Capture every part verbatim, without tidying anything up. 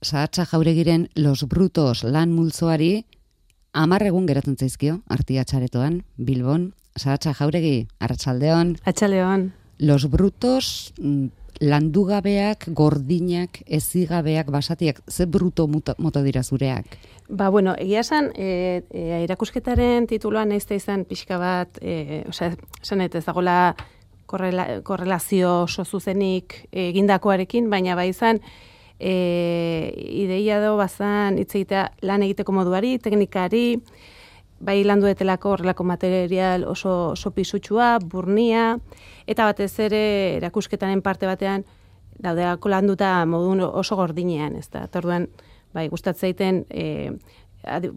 Sahatza Jauregiren Los Brutos lan multzoari hamar egun geratzen zaizkio Artiatxaretoan, Bilbon. Sahatza Jauregi, arratsaldeon. Arratsaldeon. Los Brutos landugabeak, gordinak, ezigabeak, basatiak, ze bruto mota dira zureak? Ba, bueno, egia esan, e, e, erakusketaren tituloan ez da izan pixka bat, e, osea, esan ez dagoela korrela, korrelazio oso zuzenik egindakoarekin, baina bai izan, e, ideia do bazan hitz egitea lan egiteko moduari, teknikari, bai landuetelako horrelako material oso, oso pisutsua, burnia, eta batez ere erakusketaren parte batean daudelako landuta modun oso gordinean, ez da. Orduan, bai, gustatzeiten e,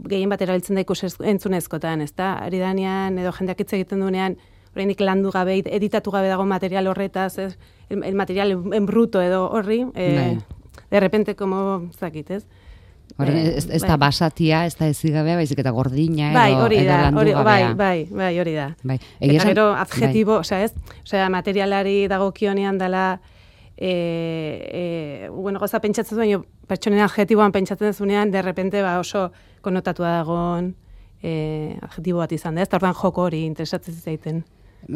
gehien bat erabiltzen da ikus entzunezkotan, ez da. Ari danean edo jendeak hitz egiten duenean, oraindik landu gabe, editatu gabe dago material horretaz, ez, el, el material en bruto edo horri, e, de repente, como, zakit, ez? Horren, ez, ez da basatia, ez da ezigabea, baizik eta gordina edo, bai, hori da, edo landugabea. Bai, bai, bai, hori da. Bai. Eta gero adjetibo, bai. Osea, ez? Osea, materialari dagokionean dela, e, e, bueno, goza pentsatzen zuen, pertsonen adjetiboan pentsatzen zunean, de repente ba, oso konotatua dagoen e, adjetibo bat izan da, ez? Eta orduan joko hori interesatzen zaiten.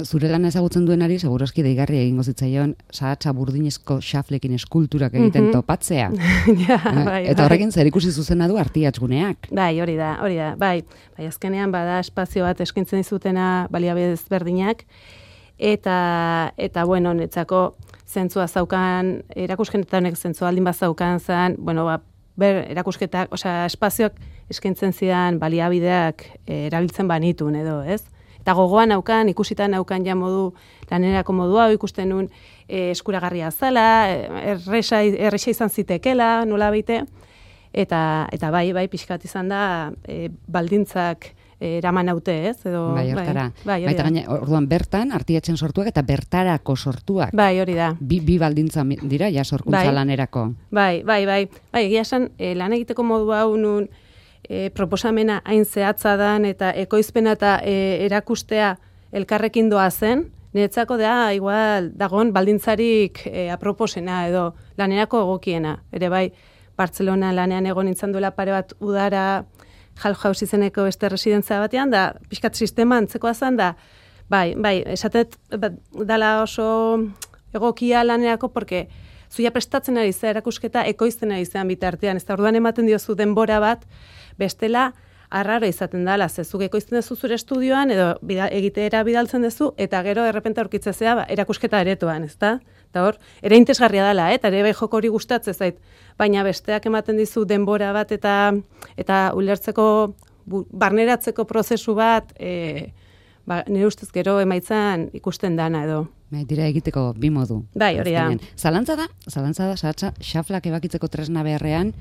Zure lana ezagutzen duenari, segurazki deigarri egingo zitzaion, sahatza burdinezko xaflekin eskulturak egiten mm-hmm. topatzea. ja, bai, Eta horrekin zer ikusi zuzena du Artiatxguneak. Bai, hori da, hori da. Bai, bai azkenean bada espazio bat eskintzen dizutena baliabide ezberdinak, eta, eta bueno, netzako zentzua zaukan, erakusketa honek zentzua aldin bat zaukan zen, bueno, ba, ber, erakusketak, osea, espazioak eskintzen zidan baliabideak e, erabiltzen banitun edo, ez? Eta gogoan naukan, ikusitan naukan ja modu, lanerako modua, ikusten nun e, eskuragarria zala, erresa, erresa izan zitekela, nola baite, eta, eta bai, bai, pixkat izan da, e, baldintzak e, eraman haute, ez? Edo, bai, hortara. Bai, bai, Baita gaine, orduan bertan, Artiatxen sortuak eta bertarako sortuak. Bai, hori da. Bi, bi baldintza dira, ja, sorkuntza bai, lanerako. Bai, bai, bai. Bai, egia esan, e, lan egiteko modu hau nun, E, proposamena hain zehatza dan eta ekoizpena eta e, erakustea elkarrekin doa zen, niretzako da igual dagon baldintzarik e, aproposena edo lanerako egokiena. Ere bai, Bartzelona lanean egon nintzen duela pare bat udara Hallhaus izeneko beste residentzia batean, da pixkat sistema antzekoa zen, da bai, bai, esatet dala oso egokia lanerako, porque zuia prestatzen ari zera erakusketa ekoizten ari zean bitartean, ez da orduan ematen diozu denbora bat, bestela, arraro izaten dela, zezuk ekoizten duzu zure estudioan, edo bida, egitera bidaltzen duzu, eta gero errepente aurkitzezea ba, erakusketa aretoan, ez da? Eta hor, ere interesgarria dela, eh? Eta ere bai joko hori gustatzen zait, baina besteak ematen dizu denbora bat, eta eta ulertzeko, bu, barneratzeko prozesu bat, e, ba, nire ustez gero emaitzan ikusten dana edo. Bai, dira egiteko bi modu. Bai, hori da. Zalantza da, zalantza da, sahatza, xaflak ebakitzeko tresna beharrean,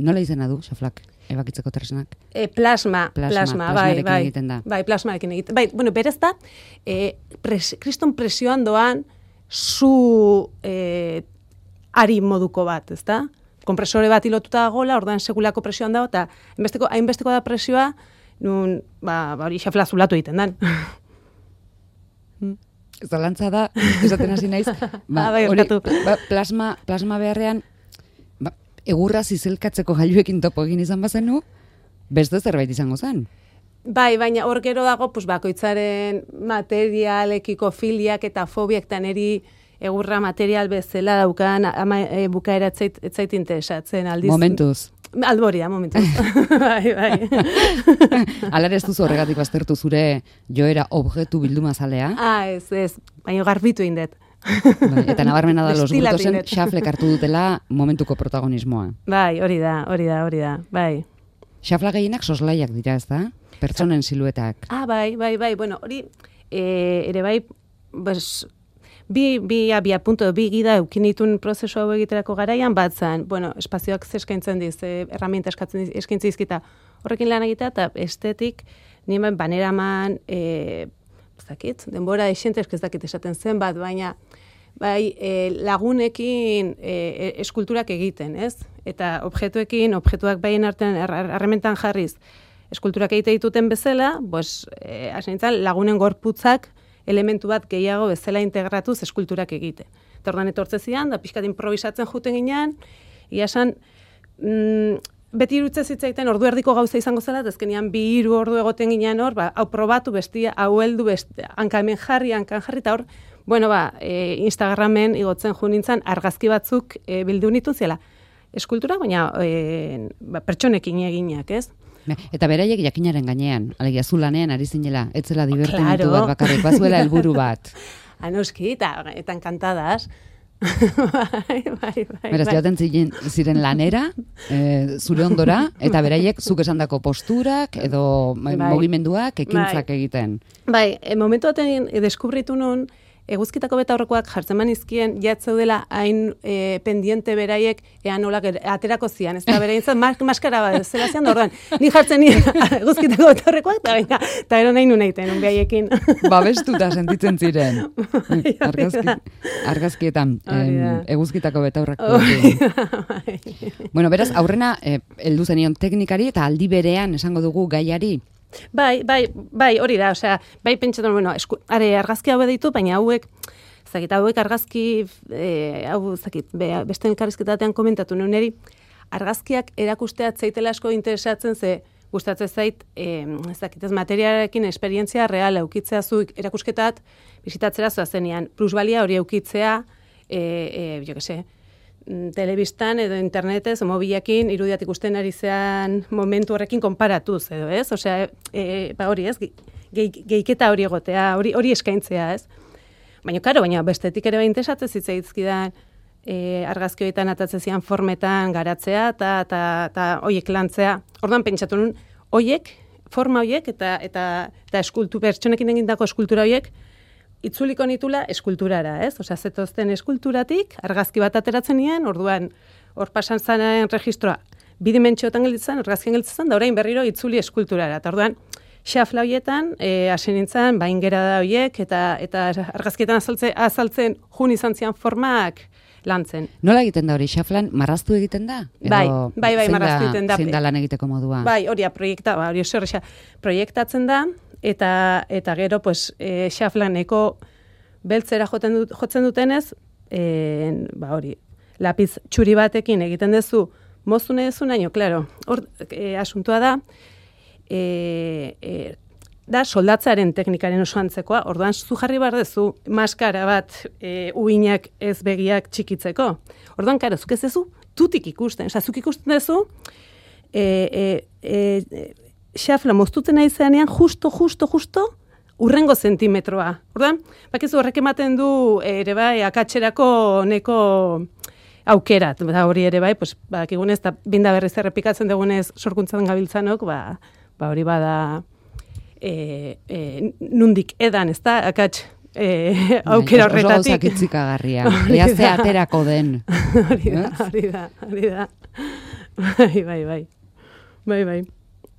nola izena du, xaflak ebakitzeko tresnak? E, plasma, plasma, plasma, bai, bai. Egiten da. Bai, plasmarekin egiten. Bai, bueno, berez da, e, pres, kriston presioan doan zu e, ari moduko bat, ez da? Kompresore bat ilotuta dagoela, orduan segulako presioan dago, eta hainbesteko, hainbesteko da presioa, nun, ba, hori xafla zulatu egiten dan. Zalantza da, esaten hasi naiz, ba, bai, hori, ba, plasma, plasma beharrean, ba, egurra zizelkatzeko gailuekin topo egin izan bazenu, beste zerbait izango zen. Bai, baina hor gero dago, pues, bakoitzaren materialekiko filiak eta fobiak eta neri egurra material bezala daukan ama, e, bukaera etzait, etzait interesatzen aldiz. Momentuz. Albori da, momentuz. bai, bai. Alare ez duzu horregatik baztertu zure joera objektu bildumazalea? Ah, ez, ez. Baina garbitu indet. Bai, eta nabarmena da Los Brutosen xaflek hartu dutela momentuko protagonismoa. Bai, hori da, hori da, hori da, bai. Xafla gehienak soslaiak dira, ez da? Pertsonen siluetak. Ah, bai, bai, bai, bueno, hori e, ere bai, bes, bi, bi abia punto, bi gida eukinitun prozesu hau egiterako garaian bat zen, bueno, espazioak zeskaintzen diz, e, erramienta eskatzen eskaintzen dizkita horrekin lan egitea, eta estetik, nien baneraman, e, ez dakit, denbora esentezk ez dakit esaten zen bat, baina bai, e, lagunekin e, eskulturak egiten, ez? Eta objektuekin, objektuak baien artean harrementan jarriz, eskulturak egite dituten bezala, pues, e, asentzan, lagunen gorputzak elementu bat gehiago bezala integratuz eskulturak egite. Eta ordan etortze zidan, da pixkat improvisatzen juten ginean, ia esan, mm, beti irutze zitzaiten ordu erdiko gauza izango zela, eta azkenean bi hiru ordu egoten ginean hor, ba, hau probatu bestia, hau heldu bestia, hanka hemen jarri, hankan jarri, eta hor, bueno, ba, e, Instagramen igotzen jo nintzen argazki batzuk e, bildu nituzela. Eskultura, baina e, ba, pertsonekin eginak, ez? Eta beraiek jakinaren gainean, alegia zu lanean ari zinela, etzela divertimentu bat bakarrik, bazuela helburu bat. Anoski, eta, eta encantadas. bai, bai, bai. Beraz, joaten ziren, ziren lanera, e, zure ondora, eta beraiek zuk esandako posturak, edo bai, mugimenduak, ekintzak bai. Egiten. Bai, e, momentu baten deskubritu nun, eguzkitako betaurrekoak jartzen manizkien, jatzeu dela hain e, pendiente beraiek, ean nolak aterako zian, ez da berain zan, mas, maskara bat, zela zian, orduan, ni jartzen nien eguzkitako betaurrekoak, eta baina, eta ero nahi nun eiten, unbiaiekin. Babestuta sentitzen ziren, argazki, argazkietan, em, eguzkitako betaurrekoak. Bueno, beraz, aurrena, eh, heldu zenion teknikari, eta aldi berean esango dugu gaiari, Bai, bai, bai, hori da, osea, bai pentsatzen, bueno, esku, are argazki hau ditu, baina hauek, zakit, hauek argazki, e, hau, zakit, be, beste elkarrizketatean komentatu nuen eri, argazkiak erakustea zeitela asko interesatzen, ze gustatzen zait, e, zakit, ez materialarekin esperientzia real eukitzea zu erakusketat, bizitatzera zoazenean, plusbalia hori eukitzea, e, e, jo que se, telebistan edo internetez, mobilekin irudiat ikusten ari zean momentu horrekin konparatuz, edo ez? Osea, e, ba hori ez, geiketa hori egotea, hori hori eskaintzea, ez? Baina, karo, baina bestetik ere bain interesatzen zitzaizkidan e, argazki horietan atatzen zian formetan garatzea eta eta eta hoiek lantzea. Orduan pentsatu nun, hoiek, forma hoiek eta eta eta eskultu pertsonekin egindako eskultura hoiek itzuliko nitula eskulturara, ez? Osea, zetozten eskulturatik, argazki bat ateratzen nien, orduan, hor pasan zaren registroa, bidimentxoetan gelditzen, argazkien gelditzen, da orain berriro itzuli eskulturara. Eta orduan, xafla horietan, e, hasi nintzen, baingera da horiek, eta, eta argazkietan azaltzen, azaltzen jun izan zian formak lantzen. Nola egiten da hori, xaflan marraztu egiten da? Edo bai, bai, bai, marraztu egiten da. Zein da lan egiteko modua? Bai, hori, proiekta, ba, hori oso horrexa, proiektatzen da, eta eta gero pues e, xaflaneko beltzera joten dut, jotzen dutenez, e, ba hori, lapiz txuri batekin egiten duzu mozune duzu naino, claro. Hor e, asuntua da e, e, da soldatzaren teknikaren oso antzekoa. Orduan zu jarri behar duzu maskara bat e, uinak ez begiak txikitzeko. Orduan karo, zuk ez duzu tutik ikusten, osea zuk ikusten duzu e, e, e, xafla moztutzen nahi zeanean, justo, justo, justo, urrengo zentimetroa. Orduan, bakizu horrek ematen du ere bai, akatxerako neko aukera. Eta hori ere bai, pues, bakigunez, eta binda berriz errepikatzen dugunez sorkuntzan gabiltzanok, ba, ba hori bada e, e, nundik edan, ez da, akatx e, aukera horretatik. Oso gauzak itzikagarria, eazte aterako den. Hori da, hori da, hori da. Bai, bai, bai. Bai, bai.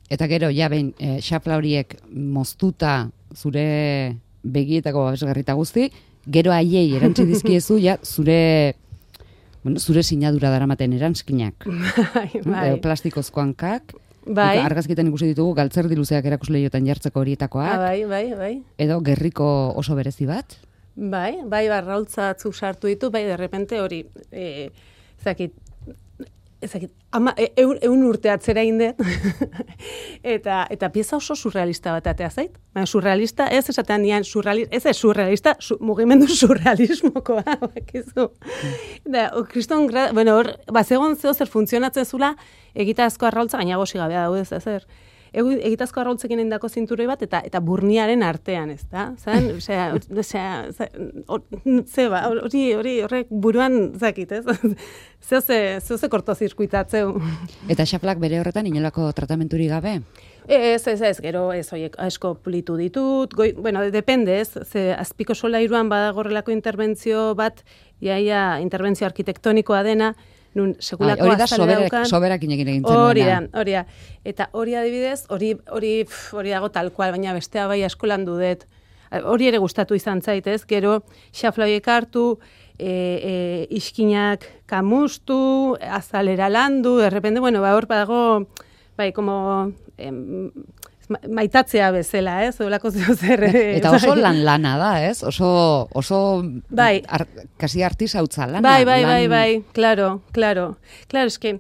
Eta gero, ja behin, e, xafla horiek moztuta zure begietako babesgarrita guzti, gero haiei erantzi dizkiezu, ja, zure, bueno, zure sinadura daramaten erantzkinak. Bai, bai. E, plastikozko hankak, bai. Argazkietan ikusi ditugu, galtzerdi luzeak erakusleiotan jartzeko horietakoak. Ah, bai, bai, bai. Edo gerriko oso berezi bat. Bai, bai, barraultza atzuk sartu ditu, bai, derrepente hori, e, zakit, ezakit, ama, e, eun, eun urte atzera indet, eta, eta pieza oso surrealista bat atea zait. Baina surrealista, ez esatean nian, surrealista, ez ez surrealista, su, mugimendu surrealismokoa, bakizu. Da, o, kriston, bueno, hor, bazegon zeo zer funtzionatzen zula, egitazko arraultza, gaina gosi gabea daude ez zer. Egitazko arraultzekin indako zinturoi bat, eta eta burniaren artean, ez da? Zan, osea, osea, zeba, hori, hori, horrek buruan zakit, ez? Zeo ze, zeo ze kortozirkuitatzeu. Eta xaflak bere horretan inolako tratamenturik gabe? Ez, ez, ez, gero, ez, oiek, asko pulitu ditut, goi, bueno, depende, ez, ze azpiko solairuan badagorrelako interbentzio bat, iaia interbentzio arkitektonikoa dena, nun sekulako azale daukan. Soberakin egin egin zen. Hori da, hori da. Eta hori adibidez, hori hori hori dago tal cual, baina bestea bai asko landu dut. Hori ere gustatu izan zaitez, gero xafla horiek hartu, e, e, iskinak kamustu, azalera landu, de repente, bueno, ba hor badago, bai, como em, maitatzea bezala, ez? Olako zer. Eta oso lan lana da, ez? Oso oso bai. Ar, kasi artisautza lana. Bai, bai, lan... bai, bai, claro, claro. Claro, es que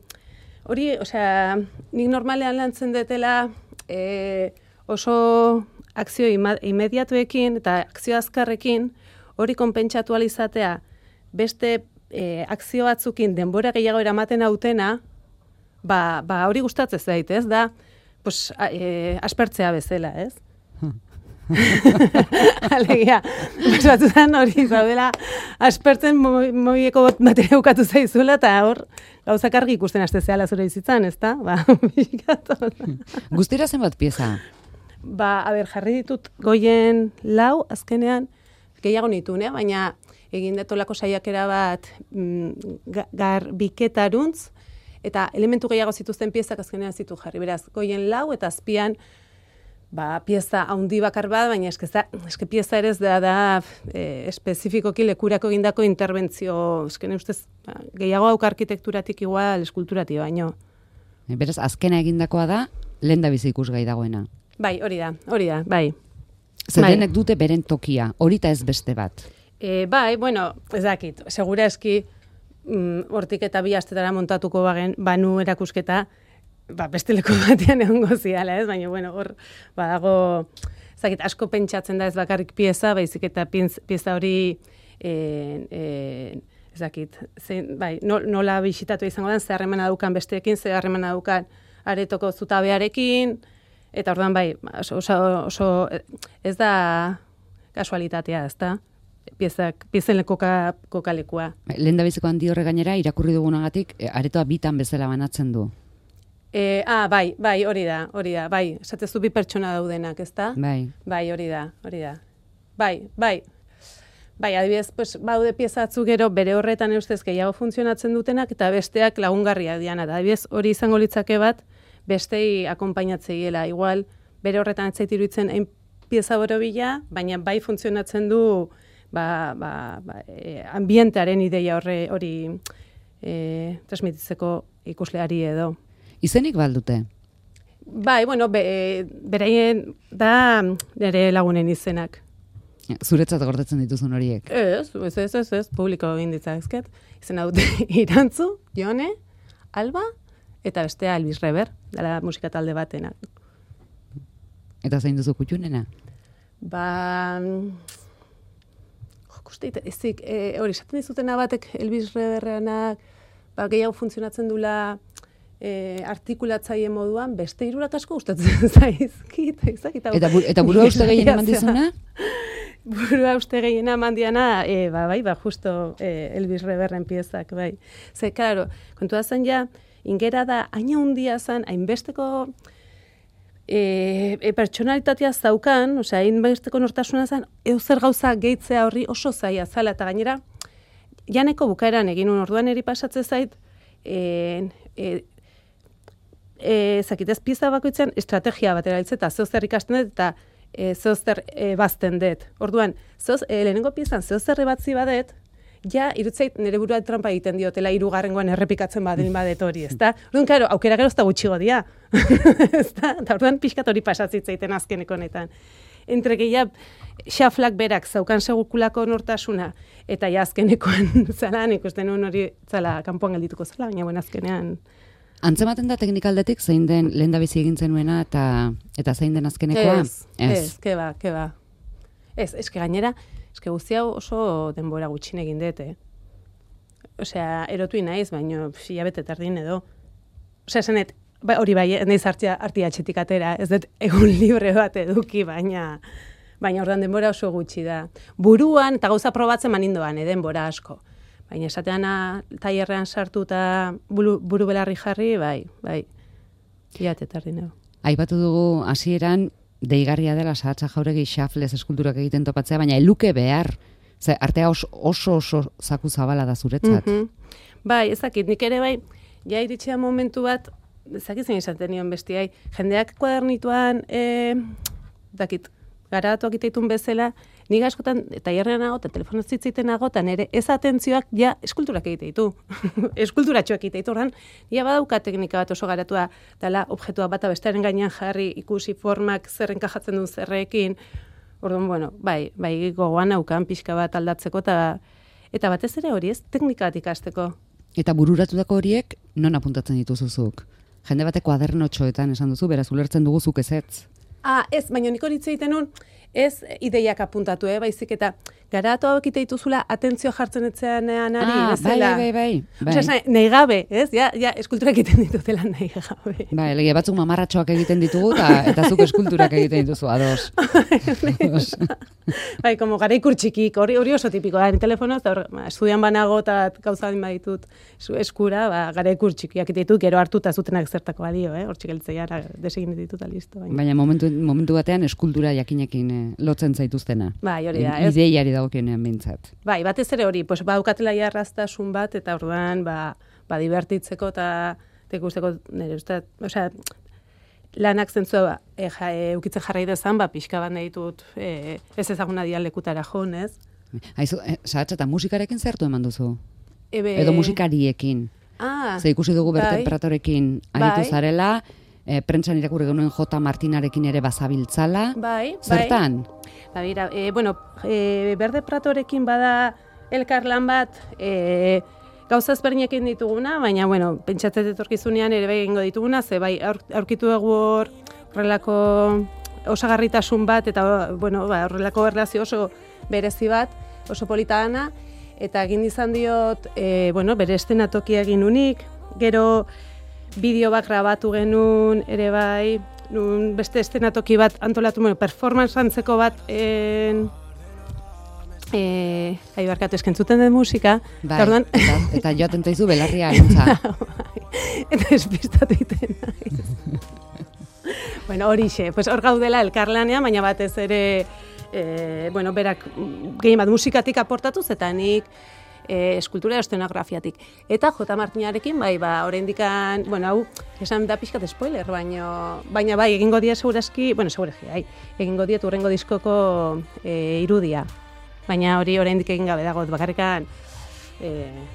hori, osea, nik normalean lantzen detela e, oso akzio ima, imediatuekin eta akzio azkarrekin hori konpentsatu alizatea beste e, akzio batzukin denbora gehiago eramaten hautena, ba, ba hori gustatzen zait, ez da, pues, a, e, aspertzea bezala, ez? Alegia, batzutan hori zaudela aspertzen mobieko bateria bukatu zaizula eta hor gauzak argi ikusten haste zehala zure bizitzan, ezta? Ba, Guztira zenbat pieza? Ba, a ber, jarri ditut goien lau, azkenean gehiago nitun, eh? Baina egin detolako saiakera bat mm, garbiketaruntz eta elementu gehiago zituzten piezak azkenean zitu jarri. Beraz, goien lau eta azpian ba, pieza handi bakar bat, baina eske, eske pieza ere ez da, da e, espezifikoki lekurako egindako interbentzio, eske ustez ba, gehiago auk arkitekturatik igual eskulturatik baino. Beraz, azkena egindakoa da, lehen da bizi ikusgai dagoena. Bai, hori da, hori da, bai. Zerenek dute beren tokia, horita ez beste bat. E, bai, bueno, ez dakit, segura eski mm, hortik eta bi astetara montatuko bagen, banu erakusketa, ba, beste leku batean egongo ziala, ez? Baina, bueno, hor, badago, zakit, asko pentsatzen da ez bakarrik pieza, baizik eta pieza hori, e, e, ez dakit, zein, bai, nola bisitatu izango da, ze harremana daukan besteekin, ze harremana daukan aretoko zutabearekin, eta orduan, bai, oso, oso, ez da kasualitatea, ez da? Piezak, piezen koka, kokalekua. Lehen da biziko handi horre gainera, irakurri dugunagatik, aretoa bitan bezala banatzen du. E, ah, bai, bai, hori da, hori da, bai, esatezu bi pertsona daudenak, ezta? Bai. Bai, hori da, hori da. Bai, bai. Bai, adibidez, pues, baude pieza batzu gero bere horretan eustez gehiago funtzionatzen dutenak eta besteak lagungarriak diana. Adibidez, hori izango litzake bat, bestei akonpainatzeiela. Igual, bere horretan ez zait iruditzen hain pieza borobila, baina bai funtzionatzen du ba, ba, ba, e, ambientearen ideia horre hori e, transmititzeko ikusleari edo. Izenik baldute? Bai, bueno, be, beraien da nire lagunen izenak. Zuretzat gordetzen dituzun horiek? Ez, ez, ez, ez, ez, publiko egin ditzazket. Izena dute Irantzu, Jone, Alba, eta bestea Elvis Reber, dela musika talde batena. Eta zein duzu kutxunena? Ba... Jokuste, ezik, e, hori, esaten dizutena batek Elvis Reberrenak, ba, gehiago funtzionatzen dula... E, artikulatzaile moduan, beste hirurak asko gustatzen zaizkit. Eta, bu, eta burua uste gehien eman dizuna? Burua uste gehien eman diana, e, ba, bai, ba, justo e, Elvis Reberren piezak, bai. Ze, klaro, kontua zen ja, ingera da, aina hundia zen, hainbesteko e, e, pertsonalitatea zaukan, osea, hainbesteko nortasuna zen, eozer gauza gehitzea horri oso zaila zala, eta gainera, janeko bukaeran egin un orduan eri pasatze zait, e, e, E, zakitez pieza bakoitzen estrategia batera hiltze eta zeozer ikasten dut eta e, zeozer e, bazten dut. Orduan, zeoz, e, lehenengo piezan zeozer batzi badet, ja, irutzeit nire burua trampa egiten diotela hirugarrengoan errepikatzen badin badet hori, ezta? Orduan, karo, aukera gero ez da gutxigo dia. Ezta? Eta orduan pixkat hori pasatzitzeiten azkeneko honetan. Entre que ja, xaflak berak zaukan segukulako nortasuna, eta ja azkenekoan zala, ikusten nuen hori zala kanpoan geldituko zala, baina bueno, azkenean... Antzematen da teknikaldetik zein den lehen da bizi egin zenuena eta eta zein den azkenekoa? Ez, ez, ez, ke ba, ke ba. Ez, eske gainera, eske guzti hau oso denbora gutxin egin dute. Osea, erotu naiz, baino hilabete tardin edo. Osea, esanet, ba, hori bai, naiz hartia hartia etxetik atera, ez dut egun libre bat eduki, baina baina ordan denbora oso gutxi da. Buruan eta gauza probatzen manindoan, eh, denbora asko. Baina esatean tailerrean sartu eta buru, buru belarri jarri, bai, bai, hilabete tardin edo. Aipatu dugu hasieran deigarria dela Sahatza Jauregi xaflez eskulturak egiten topatzea, baina eluke behar. Ze, artea oso oso, oso zaku zabala da zuretzat. Mm-hmm. Bai, ezakit, nik ere bai, ja iritsia momentu bat, ezakit zein izaten nion bestiai, jendeak kuadernituan, e, dakit, garatuak iteitun bezala, nik askotan, eta hierrean nago, eta telefono zitziten nago, eta nire ez atentzioak ja eskulturak egiteitu. Eskulturatxoak egiteitu, ordan, ja badauka teknika bat oso garatua, dela objektua bata bestearen gainean jarri, ikusi formak zer enkajatzen duen zerrekin, orduan, bueno, bai, bai gogoan naukan pixka bat aldatzeko, eta, eta batez ere hori ez, teknika bat ikasteko. Eta bururatutako horiek non apuntatzen dituzuzuk? Jende batek kuadernotxoetan esan duzu, beraz ulertzen dugu zuk ezetz. Ah, ez, baina nik hori egiten nun, ez ideiak apuntatu, eh, baizik eta garatu hauek ite dituzula atentzio jartzen etzeanean ari, ah, bezala. Bai, bai, bai. bai. Osea, nahi gabe, ez? Ja, ja, eskulturak egiten ditutela nahi gabe. Bai, lege batzuk mamarratxoak egiten ditugu, eta, eta zuk eskulturak egiten dituzu, ados. ados. Bai, como gara ikur txikik, hori, hori oso tipikoa, ni telefonoz, eta hor, estudian banago eta gauza baditut eskura, ba, gara ikur txikiak ditut, gero hartuta zutenak zertako balio, eh? Hor txikeltzea, desegin ditut, listo. Baina, baina momentu, momentu batean eskultura jakinekin eh, lotzen zaituztena. Bai, hori da, ez? Ideiari dagokionean behintzat. Bai, batez ere hori, pues, baukatela jarraztasun bat, eta orduan, ba, ba divertitzeko eta tekusteko, nire uste, osea, lanak zentzua, ba, e, ja, e, ukitzen jarrai dezan, ba, pixka bat nahi dut, e, ez ezaguna dialekutara joan, ez? Haizu, e, Sahatxa, eta musikarekin zertu eman duzu? Ebe... Edo musikariekin? Ah, ze ikusi dugu bertemperatorekin aritu bai. zarela, e, prentsan irakurri genuen J. Martinarekin ere bazabiltzala. Bai, Zertan? Ba, bera, e, bueno, e, Berde Pratorekin bada elkarlan bat, e, gauza ezberdinekin dituguna, baina, bueno, pentsatzen etorkizunean ere bai egingo dituguna, ze bai aur, aurkitu dugu hor horrelako osagarritasun bat, eta bueno, ba, horrelako erlazio oso berezi bat, oso polita dana, eta egin izan diot, e, bueno, bere estenatokia egin unik, gero bideo bat grabatu genuen ere bai, nun beste estenatoki bat antolatu, bueno, performance antzeko bat en, e, ahi barkatu eskentzuten den musika, bai, eta, orduan, eta, eta joaten taizu belarria gintza. eta espistatu iten nahi. Bueno, horixe, pues hor gaudela elkarlanean, baina batez ere, e, bueno, berak gehien bat musikatik aportatuz, eta nik e, eskultura estenografiatik. Eta J. Martinarekin, bai, ba, oraindikan, bueno, hau, esan da pixkat spoiler, baina, baina bai, egingo dia segurazki, bueno, segurazki, bai, egingo diet urrengo diskoko e, irudia. Baina hori oraindik egin gabe dago, bakarrikan, e,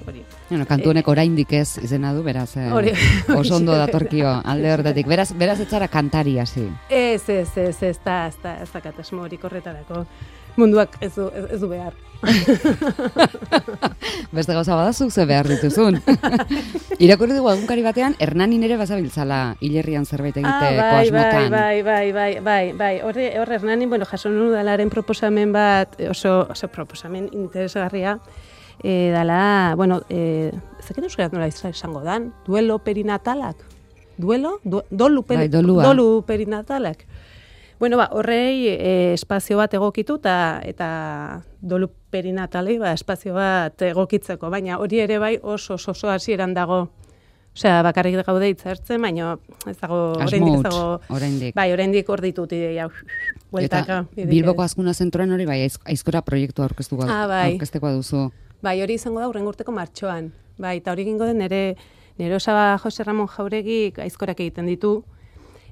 hori. Bueno, kantu honek oraindik ez izena du, beraz, eh, Hori, oso ondo datorkio alde horretatik. Beraz, beraz etzara kantari hasi. Ez, ez, ez, ez, da, ez da, ez da katasmo hori korretarako. Munduak ez du, ez, ez du behar. Beste gauza badazuk ze behar dituzun. Irakurri dugu egunkari batean, Hernanin ere bazabiltzala hilerrian zerbait egiteko ah, bai, asmotan. Bai, bai, bai, bai, bai. Horre, horre Hernanin, bueno, jaso nuen udalaren proposamen bat, oso, oso proposamen interesgarria, e, dala, bueno, e, zekien euskaraz nola izango dan, duelo perinatalak? Duelo? Du, dolu, peri, bai, dolua. dolu perinatalak. Bueno, ba, horrei e, espazio bat egokitu eta eta dolu perinatalei ba, espazio bat egokitzeko, baina hori ere bai oso oso, oso hasieran dago. Osea, bakarrik gaude hitzartzen, baina ez dago oraindik ez dago. Oraindik. Bai, oraindik hor ditut ideia. Bueltaka. Eta Bilboko Azkuna Zentroan hori bai aizkora proiektua aurkeztuko ah, bai. aurkeztekoa duzu. Bai, hori izango da hurrengo urteko martxoan. Bai, eta hori egingo den nere nere osaba Jose Ramon Jauregi aizkorak egiten ditu.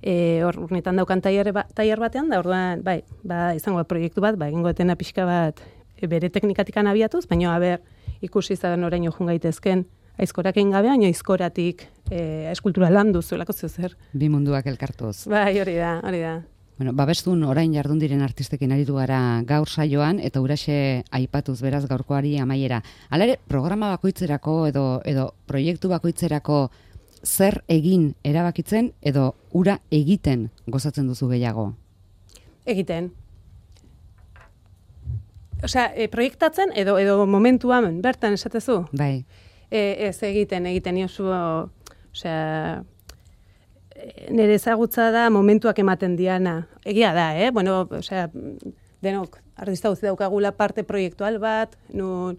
Eh, hor urnetan daukan tailer ba, tailer batean da, orduan, bai, ba izango da proiektu bat, ba egingo etena pixka bat e, bere teknikatikan abiatuz, baina aber ikusi izan oraino joan gaitezken aizkorak egin gabe, baina aizkoratik e, eskultura landu zuelako zer. Bi munduak elkartuz. Bai, hori da, hori da. Bueno, babestun orain jardun diren artistekin aritu gara gaur saioan, eta uraxe aipatuz beraz gaurkoari amaiera. Hala ere, programa bakoitzerako edo edo proiektu bakoitzerako zer egin erabakitzen edo ura egiten gozatzen duzu gehiago? Egiten. Osea, e, proiektatzen edo edo momentuan bertan esatezu? Bai. E, ez egiten, egiten iozu, osea, nire ezagutza da momentuak ematen diana. Egia da, eh? Bueno, osea, denok artista guzti daukagula parte proiektual bat, nun,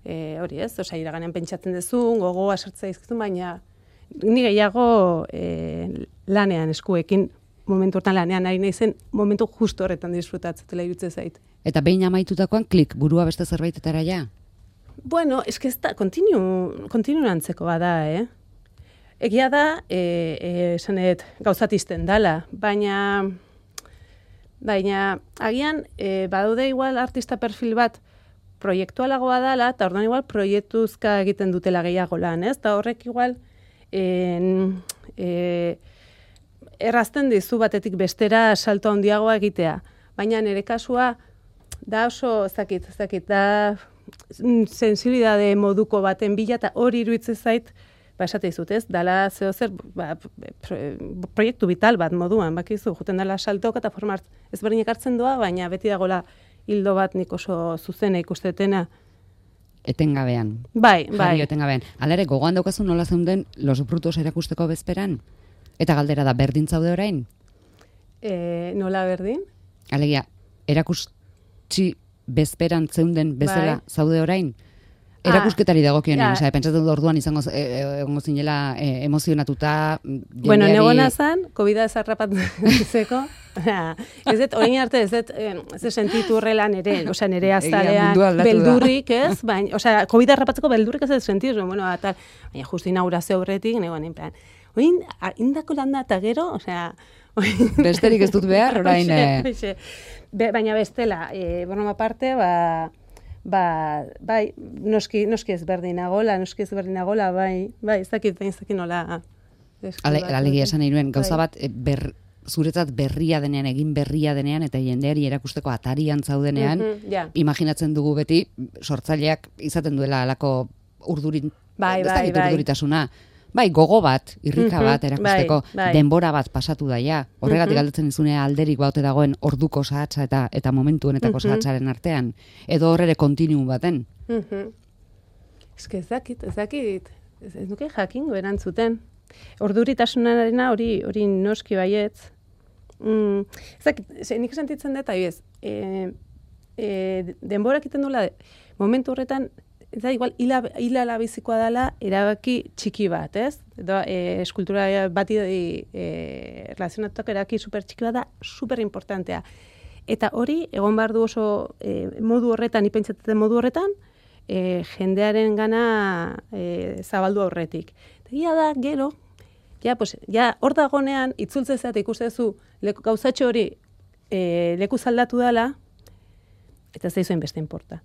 e, hori ez, osea, iraganean pentsatzen dezun, gogoa sartza izkizun, baina ni gehiago e, lanean eskuekin, momentu hortan lanean ari naizen, momentu justo horretan disfrutatzetela iruditzen zait. Eta behin amaitutakoan klik, burua beste zerbaitetarra ja? Bueno, eske ez da, kontinu, kontinu antzeko bada, eh? Egia da, e, e, esanet, gauzatizten dala, baina, baina, agian, e, badaude igual artista perfil bat proiektualagoa dala, eta orduan igual proiektuzka egiten dutela gehiago lan, ez? Eta horrek igual, En, e, errazten dizu batetik bestera salto handiagoa egitea. Baina nire kasua da oso, ezakit, ezakit, da sensibilidade moduko baten bila, eta hori iruditzen zait, ba, esate izut, ez? Dala zeo zer, ba, proiektu vital bat moduan, bakizu, juten dala saltoka eta forma ezberdinak hartzen doa, baina beti dagoela hildo bat nik oso zuzena ikustetena. Etengabean. Bai, bai. Jario etengabean. Hala ere, gogoan daukazu nola zeunden Los Brutos erakusteko bezperan? Eta galdera da, berdin zaude orain? E, nola berdin? Alegia, erakutsi bezperan zeunden bezala Bai. zaude orain? Erakusketari dagokionean, ja. osea, pentsatzen dut orduan izango e, egongo zinela e, emozionatuta. Bueno, negona zan, COVID-a zarrapatzeko. Ez dut, orain arte, ez dut, ez dut sentitu horrelan ere, osea, nire azalean beldurrik, ez? Baina, osea, COVID-a zarrapatzeko beldurrik ez dut sentitu, bueno, eta, baina justu inaugurazio horretik, negoan, en plan, oin, indako landa eta gero, osea, besterik ez dut behar, orain. Oixe, oixe. Be, baina bestela, e, broma parte, ba, ba, bai, noski, noski ezberdinagola, noski ezberdinagola, bai, bai, ez dakit, ez dakit nola. Alegia esan nahi nuen, gauza bat, ber, zuretzat berria denean, egin berria denean, eta jendeari erakusteko atarian zaudenean, mm-hmm, yeah. Imaginatzen dugu beti, sortzaileak izaten duela alako urdurin, bai, ez bai, dakit bai. urduritasuna, bai, gogo bat, irrika mm-hmm, bat erakusteko, bai, bai. denbora bat pasatu daia. Horregatik mm-hmm. galdetzen dizunea alderik baute dagoen orduko sahatsa eta eta momentu honetako mm-hmm. sahatsaren artean. Edo horrere kontinuu baten. Mm-hmm. Ez que ez dakit, ez dakit, ez, ez nuke jakingo erantzuten. Orduritasunarena hori hori noski baietz. Mm, ez dakit, nik sentitzen dut, ahiez, e, e, denbora egiten duela, momentu horretan, ez da, igual, hila, hila labizikoa dela erabaki txiki bat, ez? Edo, e, eskultura bati e, relazionatuak erabaki super txiki bat da, super importantea. Eta hori, egon behar du oso e, modu horretan, ipentsatzen modu horretan, e, jendearen gana e, zabaldu aurretik. Egia da, gero, ja, pues, ja, hor dagonean, itzultzea eta ikustezu, leku, gauzatxo hori e, leku zaldatu dela, eta ez da izuen beste inporta.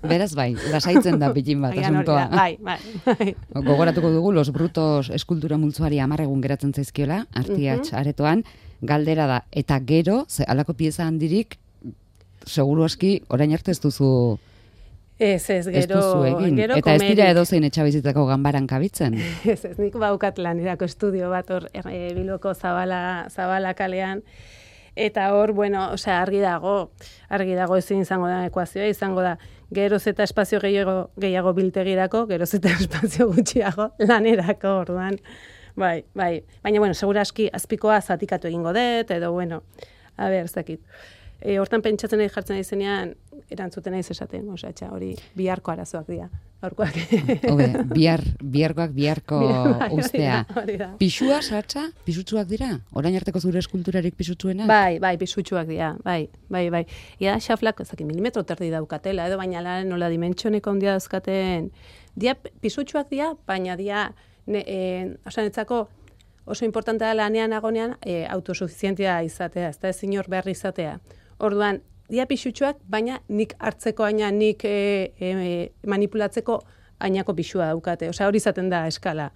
Beraz bai, lasaitzen da pitin bat asuntoa. Bai, bai, bai. Gogoratuko dugu Los Brutos eskultura multzoari hamar egun geratzen zaizkiola, Artiatx uh-huh. aretoan, galdera da, eta gero, ze alako pieza handirik, seguru aski, orain arte ez duzu Ez, ez, gero, ez duzu egin. Gero eta ez dira komerik. edozein etxabizitzako ganbaran kabitzen. Ez, ez, nik baukat lanerako estudio bat hor e, Bilboko Zabala, Zabala kalean, eta hor, bueno, osea, argi dago, argi dago ezin izango da ekuazioa, izango da geroz eta espazio gehiago, gehiago biltegirako, geroz eta espazio gutxiago lanerako, orduan. Bai, bai. Baina, bueno, seguraski azpikoa zatikatu egingo dut, edo, bueno, a ber, ez dakit. E, hortan pentsatzen nahi jartzen izenean, erantzuten naiz esaten, osea, txa, hori biharko arazoak dira, aurkoak. Hobe, bihar, biharkoak biharko bai, ustea. Hori da. Pisua, sartza, pisutsuak dira? Orain arteko zure eskulturarik pisutsuenak? Bai, bai, pisutsuak dira, bai, bai, bai. Ia, xaflak, ezaki, milimetro terdi daukatela, edo baina la, nola dimentsioneko ondia dauzkaten. Dia pisutsuak dira, baina dia, ne, e, osea, netzako oso importantea lanean agonean e, autosuficientia izatea, ez da ezin hor behar izatea. Orduan, dia pisutsuak, baina nik hartzeko aina, nik e, e, manipulatzeko ainako pisua daukate. Osea, hori izaten da eskala.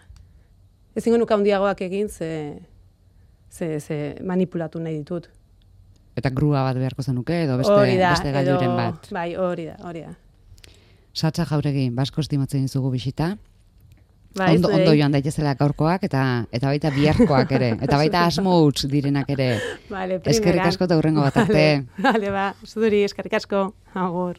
Ezingo nuka handiagoak egin, ze, ze, ze manipulatu nahi ditut. Eta grua bat beharko zenuke, edo beste, da, beste gailuren edo, bat. Bai, hori da, hori da. Satza Jauregi, basko estimatzen dizugu bisita. Bai, ondo, ondo joan daitezela gaurkoak, eta eta baita biharkoak ere. Eta baita asmo huts direnak ere. Vale, eskerrik asko eta hurrengo bat arte. Vale, vale, ba, zuri, eskerrik asko. Agur.